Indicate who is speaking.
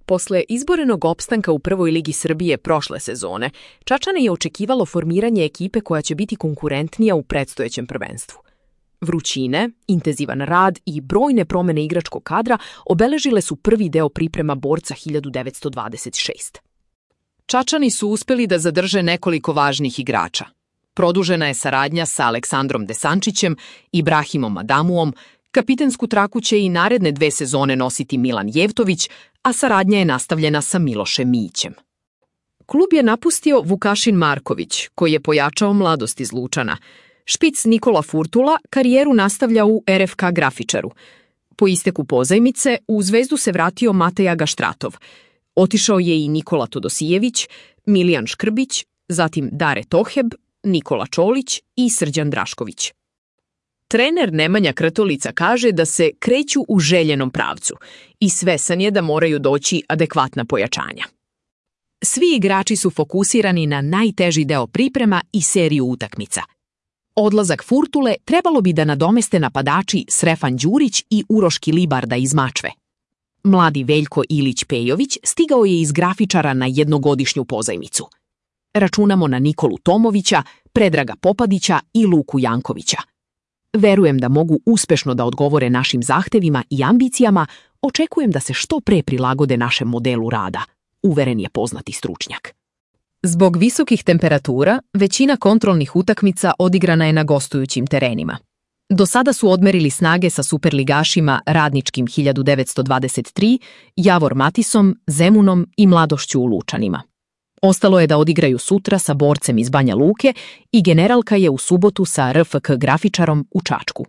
Speaker 1: Posle izborenog opstanka u prvoj ligi Srbije prošle sezone, Čačane je očekivalo formiranje ekipe koja će biti konkurentnija u predstojećem prvenstvu. Vrućine, intenzivan rad i brojne promene igračkog kadra obeležile su prvi deo priprema borca 1926.
Speaker 2: Čačani su uspeli da zadrže nekoliko važnih igrača. Produžena je saradnja sa Aleksandrom Desančićem i Ibrahimom Adamuom, kapitensku traku će i naredne 2 sezone nositi Milan Jevtović, a saradnja je nastavljena sa Milošem Mijićem. Klub je napustio Vukašin Marković, koji je pojačao mladost iz Lučana. Špic Nikola Furtula karijeru nastavlja u RFK Grafičaru. Po isteku pozajmice u Zvezdu se vratio Mateja Gaštratov. Otišao je i Nikola Todosijević, Milijan Škrbić, zatim Dare Toheb, Nikola Čolić i Srđan Drašković. Trener Nemanja Krtolica kaže da se kreću u željenom pravcu i svesan je da moraju doći adekvatna pojačanja. Svi igrači su fokusirani na najteži deo priprema i seriju utakmica. Odlazak Furtule trebalo bi da nadomeste napadači Srefan Đurić i Uroš Kilibarda iz Mačve. Mladi Veljko Ilić-Pejović stigao je iz Grafičara na jednogodišnju pozajmicu. Računamo na Nikolu Tomovića, Predraga Popadića i Luku Jankovića. Verujem da mogu uspešno da odgovore našim zahtevima i ambicijama, očekujem da se što pre prilagode našem modelu rada, uveren je poznati stručnjak. Zbog visokih temperatura, većina kontrolnih utakmica odigrana je na gostujućim terenima. Do sada su odmerili snage sa superligašima Radničkim 1923, Javor Matisom, Zemunom i Mladošću u Lučanima. Ostalo je da odigraju sutra sa Borcem iz Banja Luke i Generalka je u subotu sa RFK Grafičarom u Čačku.